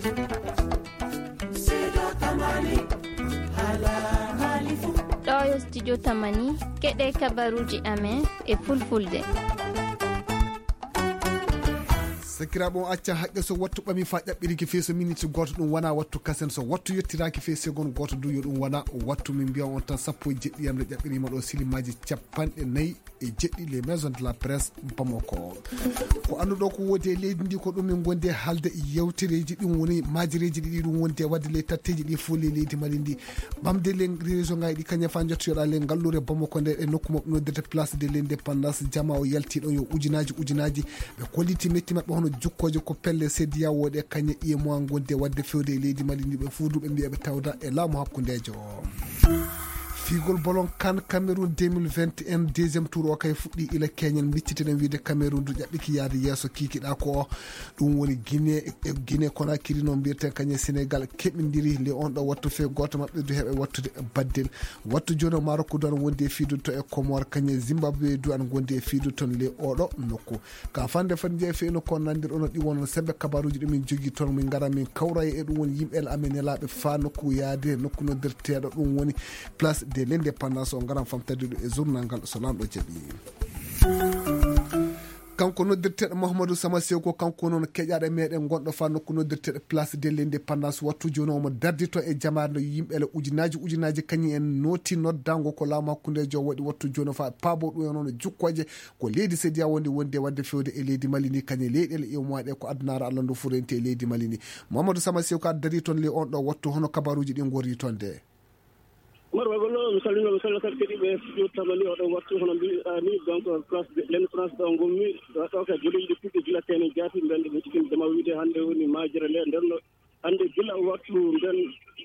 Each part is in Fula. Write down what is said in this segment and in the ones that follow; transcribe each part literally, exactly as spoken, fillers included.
Ɗo yo studio Tamani, keɗe kabaruji amen e fulfulde. Sakiraaɓe, on acca haqqe, so wattu ɓami fa ƴaɓɓiriki fii so miniti gooto, ɗum wona wattu kasen. So wattu yettiraki fii segon gooto du, yo ɗum wona wattu. Min mbiya on tan, sappo e jeɗɗi yamre ƴaɓɓirima ɗo, silimaaji capanɗe nayi e jeɗɗi, les maisons de la presse Bamako. Ko annduɗo ko wodi e leydi ndi, ko ɗum min gondi e haalde. Yewtereeji ɗin woni maajireeji ɗiɗi ɗum wondi e wadde ley tatteeji ɗi fof ley leydi Mali ndi. Ɓamde ley région ngaji ɗi kañum fa jottoyoɗa ley ngallure Bamako nde e nokku maɓɓe noddirte Place de l'Indépendance, jama o yalti ɗon yo ujunaaji ujunaaji. Ɓe kolliti metti maɓɓe hono jukkooje ko pelle C D A O ɗe kañe E M O A gondi e wadde fewde e leydi Mali ndi, ɓe fof du ɓe mbiya ɓe tawda e laamu hakkundeejo. Fiigol bolon kan Cameroun deux mille vingt et un deuxième tour o kay fuɗɗi ila keñen. Micciteɗen wiide Cameroun du ƴaɓɓiki yaade yeeso kikiɗa ko o. Ɗum woni Guinée, e Guinée Conakry no mbiyeten kañe Sénégal keɓindiri le on ɗo wattu fe gooto maɓɓe du heɓe wattude baddel. Wattu jooni o Maroc du an wondi e fiidu to e Comore, kañe Zimbabwe du an gondi e fiidu ton le oɗo nokku. Ka fande fande jeeya feyno ko nandir ono ɗi wono sembe kabaruji ɗi min jogi ton, min ngara min kawra e ɗum woni yimɓe amen nelaaɓe fa nokku yaade nokku noddirteeɗo ɗum woni Place de l'Indépendance. O ngaran famtade ɗum e journal ngal so lanɗo jaɓi. Kanko noddirteeɗo Mouhamadou Sama Sew, ko kanko noon keƴaaɗo meɗen gonɗo fa nokku noddirteeɗo Place de l'Indépendance. Wattu jooni omo dardito e jamaare nde yimɓe ele ujunaaji ujunaaji kañum en nooti noddango ko laamu hakkundeejo waɗi wattu jooni fa paabo ɗum e noon jukkooje. Ko leydi Sediya wondi, wondi e wadde fewde e leydi Mali ndi, kañum e leyɗeele iwmowa ɗe ko addunaare Allah ndu furenti e leydi Mali ndi. Mamadou Sama Sew ka dari toon le on ɗo wattu, hono kabaruuji ɗi ngorri toon de? Umar Bagollo, mi salmino, mi salmino kadi keɗiiɓe studio Tamani oɗo wattu, hono mbiɗa ni, donc, place de l'Indépendance ɗo ngonmi, ɗo, ɗo kay goleeji ɗi puɗɗi gila tene jaati, nden ɓe cikin jama wiide hannde woni majere nde, nden no hannde gila wattu nden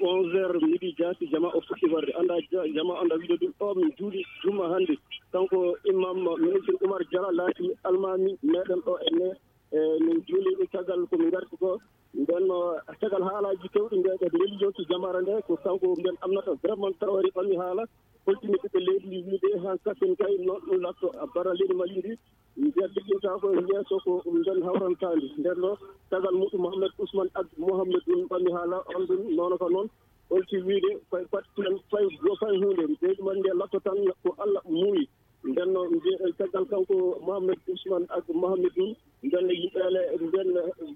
onze heures midi jaati, jama o fuɗɗi warde. Annda ja-, jama annda wiide ɗum, o min juuli juma hannde. Kanko imam ministre Oumar Diallo laati almaami meɗen ɗo e ne, e min juuli caggal ko min ngarti ko. Nden no caggal haalaaji kewɗi nde, ɓe neli yonki jamaare nde, ko kanko nden annata vraiment tawa waɗi ɓangi haala, holtini ɓiɓɓe leydi ndi wiide han kasen kay no ɗum latto bara leydi Mali ndi. Mbiya jejjinta ko yeeso ko ɗum nden hawrantaandi. Nden ɗo tagal muɗum Mohamed Ousmane ak Mohamed ɗum ɓami haala on ɗum noon ko noon. Holti wiide koye pat kulen fay go fay huunde. Leydi Mali nde latto tan ko Allah muuyi. Nden no mbiyeɗen caggal kanko Mohamed Ousmane ak Mohamed ɗum. Nden no yimɓe ale nden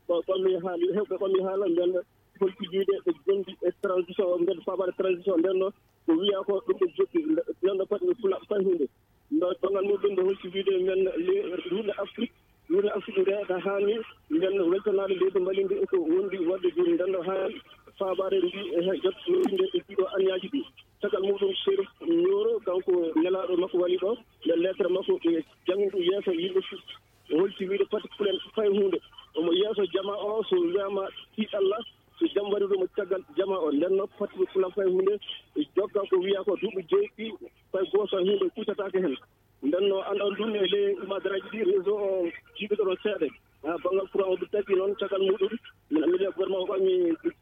ɓami haala, hewɓe ɓami haala nden holti wiide ɓe gondi e transition, nden fabaade transition nden no ko wiya ko ɗum ɓe jokki. Nden no pati ɓe fula fay huunde. Ndo tongal muɗum nde holti wiide men le-, Roune Afrique, Roune Afrique nde ka haani nden weltanaade leydi Mali ndi ko wondi wadde jooni nden no haani fabaare ndi e he jot nde e ɗiɗo anniyaaji ɗi. Caggal muɗum Serif Ñoro kanko nelaaɗo makko wali ɗo nde lettre makko ɓe janngi ɗum yeeso yimɓe fu-, o holti wiide pati kulen fay huunde. Omo yeeso jama o so wiyama ti Allah so jam waɗi ɗum caggal jama o nden no pati kulen fay huunde e jokka ko wiya ko duuɓi jeeɗiɗi fay gooto huunde kuccataake heen. Nden no anndal ɗum e ley umadaraaji ɗi réseau o jiiɓi ɗo ɗon seeɗa. Ha banngal courant o ɗum taƴi noon caggal muɗum. Min anndi gouvernement o ɓami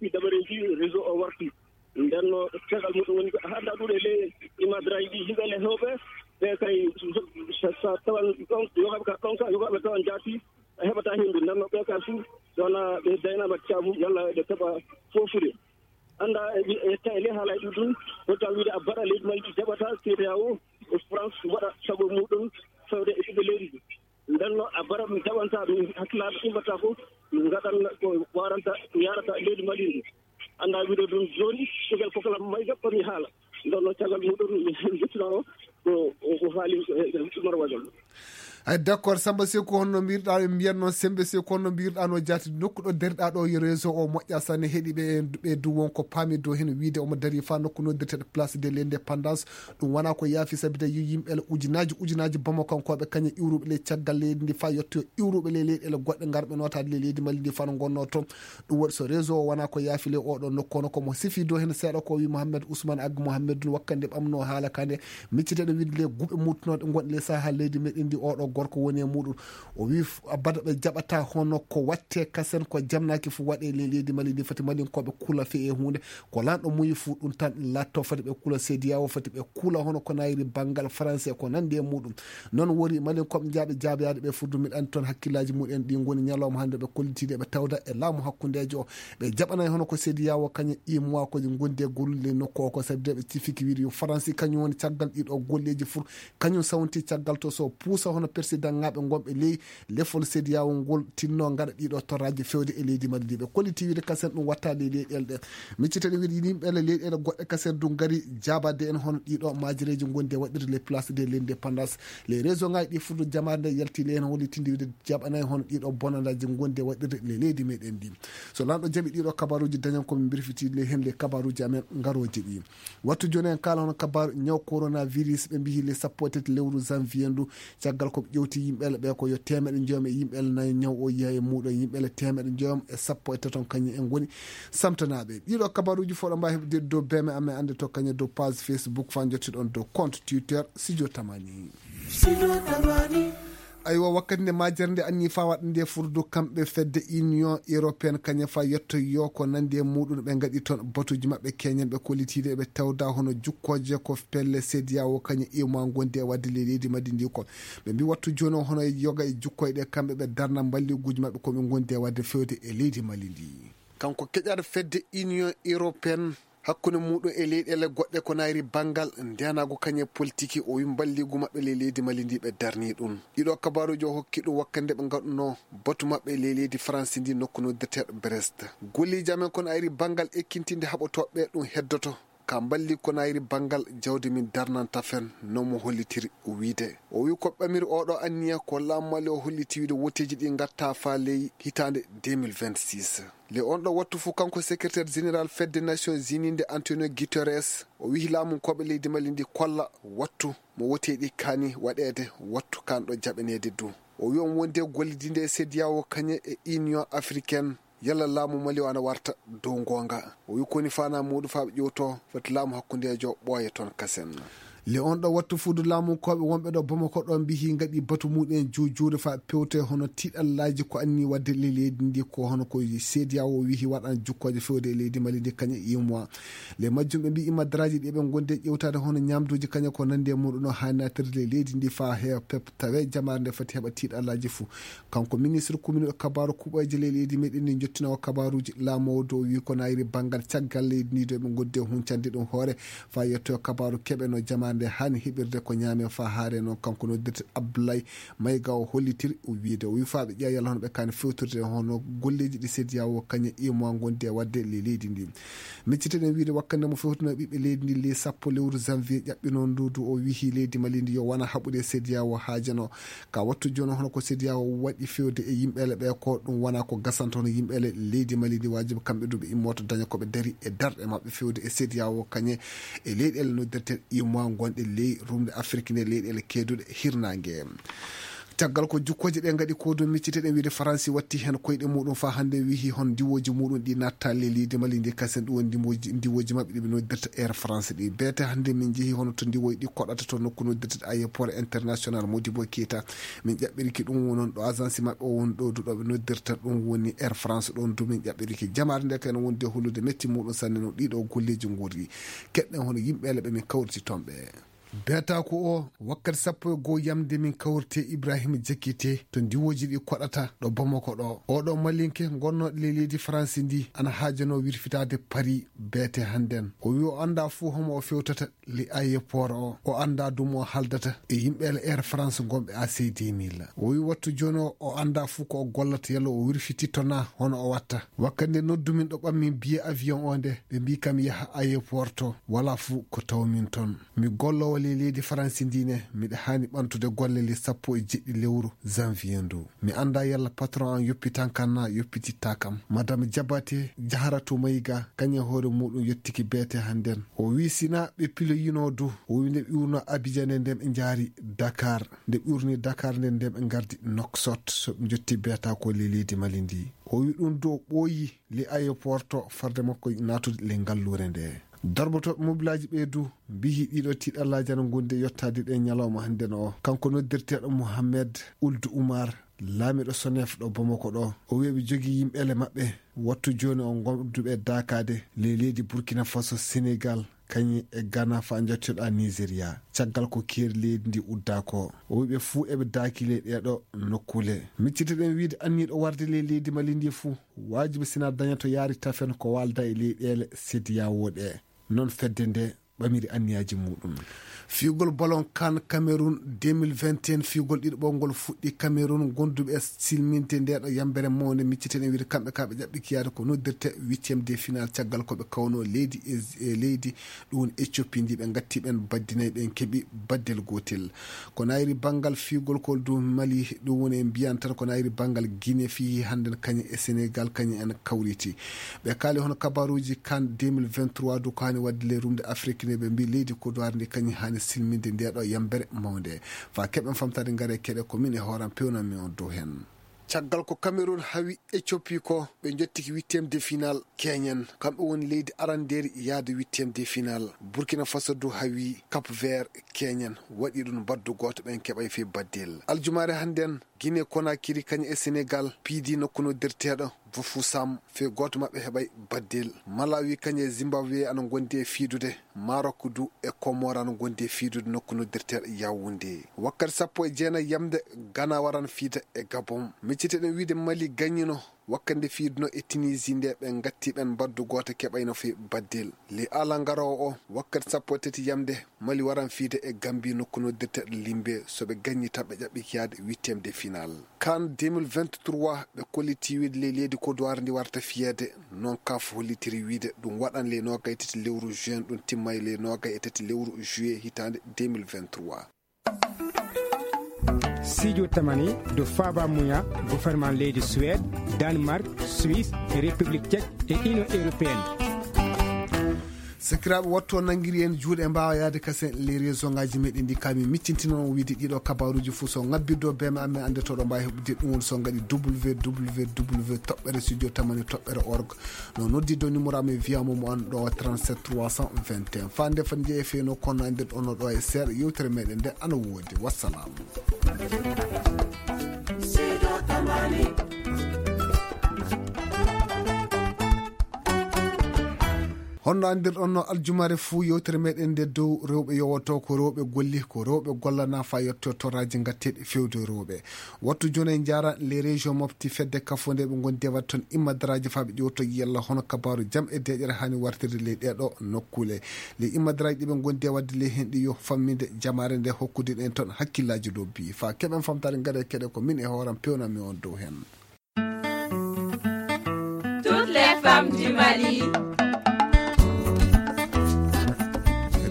ɗi dabareeji réseau o warti. Nden no caggal muɗum woni ko hannda ɗum e ley umadaraaji ɗi yimɓe le hewɓe. Ɓe kay sa, sa tawan ɗon, yogaɓe ka ɗon ka, yogaɓe tawan jaati, a heɓata henndu. Nden no ɓe ka fuu, wona ɓe daynaama caabu, yalla ɓe keɓa foofude. Annda e, e, e tawi le haalay ɗum ɗum, ko taw wiide a baɗa leydi Mali ɗi jaɓata, C D A O, e France waɗa sago muɗum, fewde e ɓiɓɓe leydi ndi. Nden no a bara ɗum jaɓanta ɗum, hakkilaaɓe immata ko ngaɗan ko waranta, ko yarata leydi Mali ndi. Annda wiide ɗum jooni, caggal kokala mayga komi haala. Nden no caggal muɗum, mi, mi, mi, ko, ko, ko haali, e, e, Umar Wajal. Ay, d'accord, Samba Seku, honno mbirɗa, ɓe mbiyan noon Sembe Seku, honno mbirɗa no jaati nokku ɗo dariɗa ɗo, yo réseau o moƴƴa sanne, heɗi ɓe, ɓe du won ko paami dow heen wiide omo darii fa nokku noddirteɗo Place de l'Indépendance. Ɗum wona ko yaafi, sabi de yo yimɓe ele ujunaaji, ujunaaji Bamako kankooɓe kañe iwruɓe ley caggal leydi ndi fa yetto iwruɓe ley leyɗeele goɗɗe ngarɓe nootaade ley leydi Mali ndi fa no ngonnoo toon. Ɗum waɗi so réseau o wona ko yaafi ley oɗo nokku, kono komo sifi dow heen seeɗa ko wi Mohamed Ousmane Ag Mohamed ɗum wakkande ɓamno haala ka nde. Micciteɗo wiide le guɓe muttunooɗe gonɗe le saha leydi meɗen ndi oɗo gorko woni e muɗum. O wi bada ɓe jaɓata hono ko watte kasen ko jamnaki fu waɗe le leydi mali ndi fati malinkooɓe kula fe e hunde ko lanɗo muyi fu ɗum tan latto fati ɓe kula sediyawo fati ɓe kula hono ko nayri bangal faransi e ko nandi e muɗum. Non wori malinkooɓe jaaɓe jaaɓeyade ɓe furdu miɗan toon hakkillaji muɗen ɗi ngoni ñalawma hannde ɓe kollitiiɗe ɓe tawda e laamu hakkundeejo o. Ɓe jaɓanay hono ko sediyawo kañe imois koji gondi e gollude nokku o ko sabi de ɓe cifiki wiide yo faransi kañum woni caggal ɗiɗo golleji fur. Kañum sawnti caggal to so puusa hono persidanŋaaɓe ngonɓe ley lefol sediyawo ngol tinno ngaɗa ɗiɗo torraji fewde e leydi mali ndi ɓe kolliti wiide kasen ɗum watta ley leyɗele ɗe. Miccitaɗe wiide yimɓe leyɗele goɗɗe kasen du ngari jabade en hono ɗiɗo majireji gondi e waɗirde les place de l'indépendance. Les réseau ngaji ɗi furdu jamaare nde yalti ley hen hollitinde wiide jaɓanay hono ɗiɗo bonandaji gondi e waɗirde le leydi meɗen ndi. So lanɗo jaɓi ɗiɗo kabaruji dañan komin birfiti ley hen les kabaruji amen ngaroji ɗi. Wattu joni en kala hono kabaru ñaw coronavirus ɓe mbihi le sappo e tati lewru janvier ndu. Caggal ko ɓe ƴewti yimɓele ɓe ko yo temeɗe joom e yimɓele nayo ñaw o yiya e muɗum yimɓele temeɗe joom e sappo e taton kañum en goni samtanaɓe ɗiɗo kabaruji fof ɗo mbawi heɓde dow beme amen ande to kañum dow page facebook fa jottiɗon dow compte twitter sidio tamani. Aywa wakkati nde majere nde anni fa waɗa nde furdu kamɓe fedde union européenne kañum fa yetto yo ko nandi e muɗum ɓe gaɗi toon batuji maɓɓe keñen ɓe kollitiiɗe ɓe tawda hono jukkooje ko pelle sediyawo kañum iwma gondi e wadde ley leydi maddi ndi kon. Ɓe mbi wattu jooni o hono e yoga e jukkoyɗe kamɓe ɓe darna mballiiguuji maɓɓe ko ɓe gondi e wadde fewde e leydi mali ndi. Kanko keƴaɗo fedde union européenne hakkunde muɗum e leyɗele goɗɗe ko nayri banngal ndenagu kañe politiki o wi mballigu maɓɓe ley leydi mali ndi ɓe darni ɗum. Ɗiɗo kabaruji o hokki ɗum wakkande ɓe ngaɗuno batu maɓɓe ley leydi faransi ndi nokku noddeteɗo brest. Golleji amen kon ayri banngal ekkintinde haɓotoɓe ɗum heddoto ka mballi ko nayri banngal jawdi min darnanta fen no mo hollitiri wiide o wi ko ɓamiri oɗo anniya ko laamu mali o holliti wiide woteji ɗi gatta fa ley hitande deux mille vingt-six. Le on ɗo wattu fof kanko secrétaire général fedde nations unies nde antonio guterres o wihi laamunkooɓe leydi mali ndi kolla wattu mo woteɗi kani waɗeede wattu kanɗo jaɓaneede du. O wi on wonde gollidinde e sediyawo kañe e union africaine yalla laamu mali o ana warta dow ngonga o wi koni fana muɗum fa ɓe ƴewto foti laamu hakkundejo ɓooya toon kasen. Le on ɗo wattu fuudu laamunkooɓe wonɓe ɗo bamako ɗo mbihi gaɗi batu muɗum juujuude fa pewte hono tiɗallaji ko anni wadde le leydi ndi ko hono ko seediya o wihi waɗan jukkooje fewde e leydi mali ndi kañe imois. Le majjum ɓe mbi imadraji ɗi ɓe gonde ƴewtade hono ñamduji kañe ko nandi e muɗum no hani natirde le leydi ndi fa he pep tawe jamaare nde foti heɓa tiɗallaji fo. Kanko ministre commune e kabaru kuɓoyje le leydi meɗen ndi jottinowo kabaruji laamowo dow wi ko nayri banngal caggal leydi ndi dow ɓe goddi e huncande ɗum hoore fa yetto e kabaru keɓe no jamaande hani heɓirde ko ñaame fa haare noon kanko noddirte abdoulaye mayga o hollitir o wiide o wi fa ɓe ƴeewa yalla hono ɓe kani fewtirde hono golleji ɗi sediya o kañe imo gondi e wadde le leydi ndi. Micciteɗen wiide wakkande mo fewtino ɓiɓɓe leydi ndi le sappo lewru janvier ƴaɓɓino ndudu o wihi leydi mali ndi yo wona haɓude sediya o haajano ka wattu jooni hono ko sediya o waɗi fewde e yimɓele ɓe ko ɗum wona ko gasanta hono yimɓele leydi mali ndi wajibi kamɓe duɓe immoto daña koɓe dari e darɗe maɓɓe fewde e sediya o kañe e leyɗele noddirten imo gonɗe ley rumde afrique nde leyɗele keeduɗe hirnangue. Caggal ko jukkoje ɗe gaɗi ko ɗum micciteɗen wiide faransi watti hen koyɗe muɗum fa hande wihi hon ndiwoji muɗum ɗi natta ley leydi mali ndi kasen ɗum woni ndiwoji ndiwoji maɓɓe ɗiɓe noddirta air france ɗi beete hande min jeehi hono to ndiwoji ɗi koɗata to nokku noddirta aéroport international modibo keita. Min ƴaɓɓiriki ɗum wonon ɗo agence maɓɓe o woni ɗo duɗoɓe noddirta ɗum woni air france ɗon du min ƴaɓɓiriki jamaare nde kayno wonde hollude metti muɗum sanne no ɗiɗo golleji gurri keɗɗen hono yimɓele ɓe min kawriti toon ɓe. Beetako o wakkati sappo e goo yamde min kawrite ibrahima jekkite to ndiwoji ɗi koɗata ɗo bamako ɗo oɗo malinke gonnoɗo le leydi faransi ndi ana haajano wirfitade paris beete hannden o wi o annda fuu homo o fewtata le ayeport o o annda dumo o haldata e yimɓe l air france gonɓe ac deux mille o wi wattu jooni o o annda fuu ko o gollata yalla o wirfititto na hono o watta wakkati nde noddumin ɗo ɓammin biye avion o nde ɓe mbi kam yaha ayeport to wala fuu ko tawmin toon. Mi golloowo ley leydi Faransi ndii ne, miɗa haani ɓamtude golle le sappo e jeɗɗi lewru janvier ndu. Mi anndaa yalla patron am yoppitan kam naa yoppitittaa kam. Madame Jabate Jaharatu Mayiga, kañum e hoore muuɗum yottiki beete hannden. O wiyi si naa ɓe piloyinoo du, o wiyi nde ɓe iwrunoo Abijan nde nden ɓe njaari Dakar. Nde ɓe iwrunii Dakar nden nden ɓe ngardi Noksot, so ɓe njottii beetaa ko ley leydi Mali ndii. O wiyi ɗum du o ɓooyi ley ayepoort to farde makko naatude ley ngalluure ndee. Darbatooɓe mobilaaji ɓee du mbiyi ɗiɗo tiiɗallaaji ana ngondi e yottaade ɗe ñalawma hannden o. Kanko noddirteeɗo Mohamed Ould Oumar, laamiiɗo Sonef ɗo Bamako ɗo, o wiyi ɓe jogii yimɓeele maɓɓe wattu jooni o ngonduɓe daakaade ley leydi Burkina Faso, Senegal, kañum e Ghana faa njottoɗaa Nigeria. Caggal ko keeri leydi ndi uddaa ko, o wiyi ɓe fuu eɓe daaki ley ɗee ɗo nokkuule. Miccitoɗen wiyde anniiɗo warde ley leydi Mali ndi fuu, waajibi sinaa daña to yaari tafen ko waalda e leyɗeele C E D E A O ɗe. Noon fedde nde ɓamiri anniyaaji muuɗum. Fiyugol ballon CAN Cameroun deux mille vingt et un, fiyugol ɗiɗaɓol ngol fuɗɗi Cameroun, gonduɓe e silminde nde ɗo yambere mawnde, micciten e wiyde kamɓe ka ɓe ƴaɓɓi kiyaade ko noddirte huitième de finale, caggal ko ɓe kawno leydi e, e leydi, ɗum woni Éthiopie ndi ɓe ngatti ɓen baddi nayi, ɓen keɓi baddel gootel. Ko nayri banngal fiyugol kol du Mali, ɗum woni en mbiyan tan ko nayri banngal Guinée fiyi hannden kañum e Sénégal, kañum en kawriti. Ɓe kaali hono kabaruuji CAN deux mille vingt-trois du ko haani waɗde ley rumde Afrique ne, ɓe mbi leydi Côte d'Ivoire ndi kañum haani silminde nde ɗo yambere mawnde. Faa keɓen famtaade ngare keɗe ko min e hooram pewnanmi on dow heen. Caggal ko Cameroun hawi Éthiopie ko, ɓe njottiki huitième de finale keñen. Kamɓe woni leydi arandeeri yahde huitième de finale. Burkina Faso du hawi Cap Vert keñen. Waɗi ɗum baddu gooto, ɓen keɓay fii baddel. Aljumaare hannden, Guinée Conakry kañum e Sénégal piidi nokku noddirteeɗo Bafoussam, fii gooto maɓɓe heɓay baddel. Malawi kañum e Zimbabwe ana ngondi e fiidude. Maroc du e Comores ana ngondi e fiidude nokku noddirteeɗo Yaoundé. Wakkati sappo e jeenayi yamde, Ghana waran fiida e Gabon. Micciteɗen wiide Mali gañino wakkati nde fiiduno e Tunisie nde, ɓe ngatti ɓen baddu gooto keɓayno fii baddel. Ley alarba garoowo o, wakkati sappo e tati yamde, Mali waran fiide e Gambie nokku noddirteeɗo Limbe. So ɓe gañi tan ɓe ƴaɓɓi yaade huitième de finale. CAN deux mille vingt-trois, ɓe kolliti wiide ley leydi Côte d'Ivoire ndi warta fiyeede, noon CAF hollitiri wiide ɗum waɗan ley noogay tati lewru juin, ɗum timmay ley noogay e tati lewru juillet hitaande deux mille vingt-trois. Studio Tamani dow faaba muya gouvernement leydi Suède, Danemark, Suisse, e République Tchèque e Union Européenne. Sakiraaɓe, wattu o nanngiri en juuɗe, mbaawa yahde kasen les réseau ngaaji meɗen ɗi, kami miccintino on wiide ɗiɗo kabaruuji fof so ngabbirde o beema amen annde to ɗo mbaawi heɓude ɗum woni so ngaɗi W W W toɓɓere studio tamani toɓɓere org. No noddidde numéro amen wiya mo mo an ɗo trente-sept trois cent vingt et un. Fande fan jeeyi feno kono andir ɗon ɗo e seeɗa yewtere meɗen nde ana woodi. Wassalam. Honno anndirɗon no aljumare fuu yewtere meɗen nde dow rewɓe yowoto ko rewɓe golli, ko rewɓe gollana faa yetto torraji ngatteɗi fewde rewɓe. Wattu jooni en njaara les régions mofti fedde kafo nde ɓe ngondi e waɗde toon immadaraaji faa ɓe ƴewto yella hono kabaaru jam e deeƴere haani wartirde ley ɗee ɗoo nokkuule. Ley immadaraaji ɗi ɓe ngondi e waɗde ley heen ɗi yo famminde jamaare nde hokkude ɗen toon hakkillaaji lobbi. Faa keɓen famtaade ngare keɗe ko min e hooram pewnanmi on dow heen. Toutes les femmes du Mali.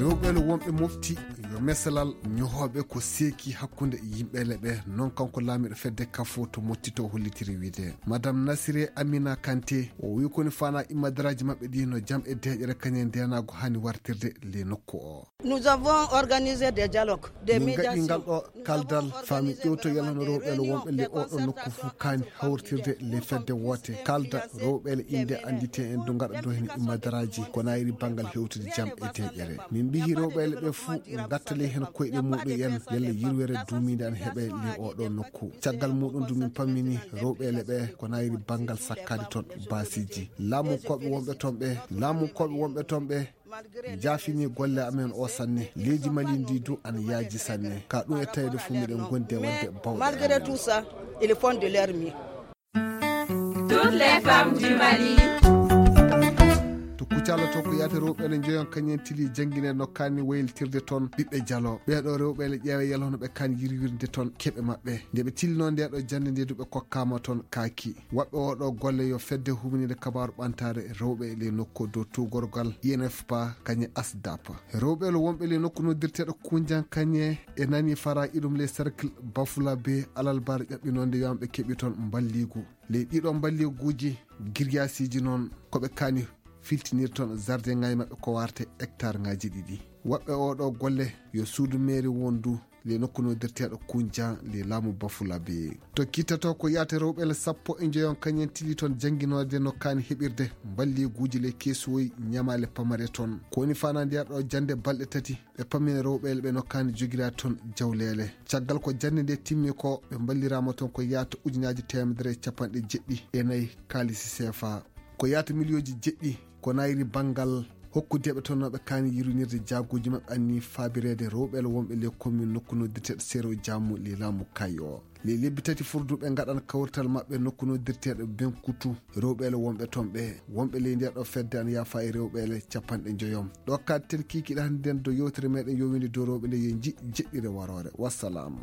Rewɓe no wonɓe mofti yo mesalal ñohooɓe ko seeki hakkunde yimɓeele ɓe. Noon kanko laamiiɗo fedde kafo to mottito hollitiri wiide. Madame Nasire Amina Kanté, o wi koni fana immadaraaji maɓɓe ɗi no jam e deeƴere kañe ndenaago haani wartirde le nokku o. Nous avons organisé des dialogues, des médiations. Min ngaɗi ngal ɗo kaldal faa min ƴewto yalano rewɓe le wonɓe le oɗo nokku fof kaani hawritirde le fedde woote. Kalda rewɓe le innde anndite en du ngaɗa do heen immadaraaji ko nayri banngal hewtude jam e deeƴere. Min mbiyi rewɓe le ɓe fof ngattale heen koyɗe muɗum en yalla yirwere duumiinde an heɓe le oɗo nokku. Caggal muɗum du min pammini rewɓe le ɓe ko nayri banngal sakkaade toon baasiiji. Laamunkooɓe wonɓe toon ɓe, laamunkooɓe wonɓe toon ɓe, jaafini golle amen o sanne. Leydi Mali ndi du ana yaaji sanne. Ka ɗum e tawde fof miɗen gondi e waɗde bawɗe. Malgré tout ça, ils font de leur mieux. Toutes les femmes du Mali. To Kucala to ko yahata rewɓe ne njoyon kañen tili janngine no kaani wayltirde toon ɓiɓɓe jalo. Ɓeeɗo rewɓe ne ƴeewa yalla hono ɓe kaani yirwirde toon keɓe maɓɓe. Nde ɓe tilino nde ɗo jannde nde du ɓe kokkaama toon kaaki. Waɗɓe oɗo golle yo fedde huminide kabaaru ɓantaare rewɓe e ley nokku dow tuugorgal I N F P A kañe ASDAP. Rewɓe lo wonɓe ley nokku noddirteeɗo Kunjan kañe e nani fara iɗum ley cercle Bafula be Alalbar ƴaɓɓinonde yo ɓe keɓi toon mballigu. Ley ɗiɗo mballiguuji giryaasiiji noon ko ɓe kaani filtinir toon jardin ngaji maɓɓe ko warte hectare ngaji ɗiɗi. Waɗɓe oɗo golle yo suudu meeri wondu le nokku nodirteeɗo Kunja le laamu Bafulabe. To kittato ko yaate rewɓe le sappo e njoyon kañen tili toon jannginoode no kaani heɓirde mballeeguuji le keesuwoy ñamaale pamare toon. Ko woni fanandiyar ɗo jannde balɗe tati ɓe pammina rewɓe le ɓe no kaani jogira toon jawleele. Caggal ko jannde nde timmi ko ɓe mballiraama toon ko yaata ujunaaji teemedere e capanɗe jeɗɗi e nayi kaalisi seefa. Ko yaata miliyooji jeɗɗi ko nayri banngal hokkudeeɓe toon noɓe kaani yirwinirde jaaguuji maɓɓe anni faabireede rewɓe le wonɓe le commune nokku noddirteeɗo Sero Jaamu le laamu Kayo. Le lebbi tati furduɓe ngaɗan kawrital maɓɓe nokku noddirteeɗo Benkutu rewɓe le wonɓe toon ɓe wonɓe ley nder ɗo fedde an yaafa e rewɓe le capanɗe njoyom. Ɗo kadten kiikiɗe hannde nden do yewtere meɗen yowinde dow rewɓe nde yo nji jeɗɗire waroore. Wassalam.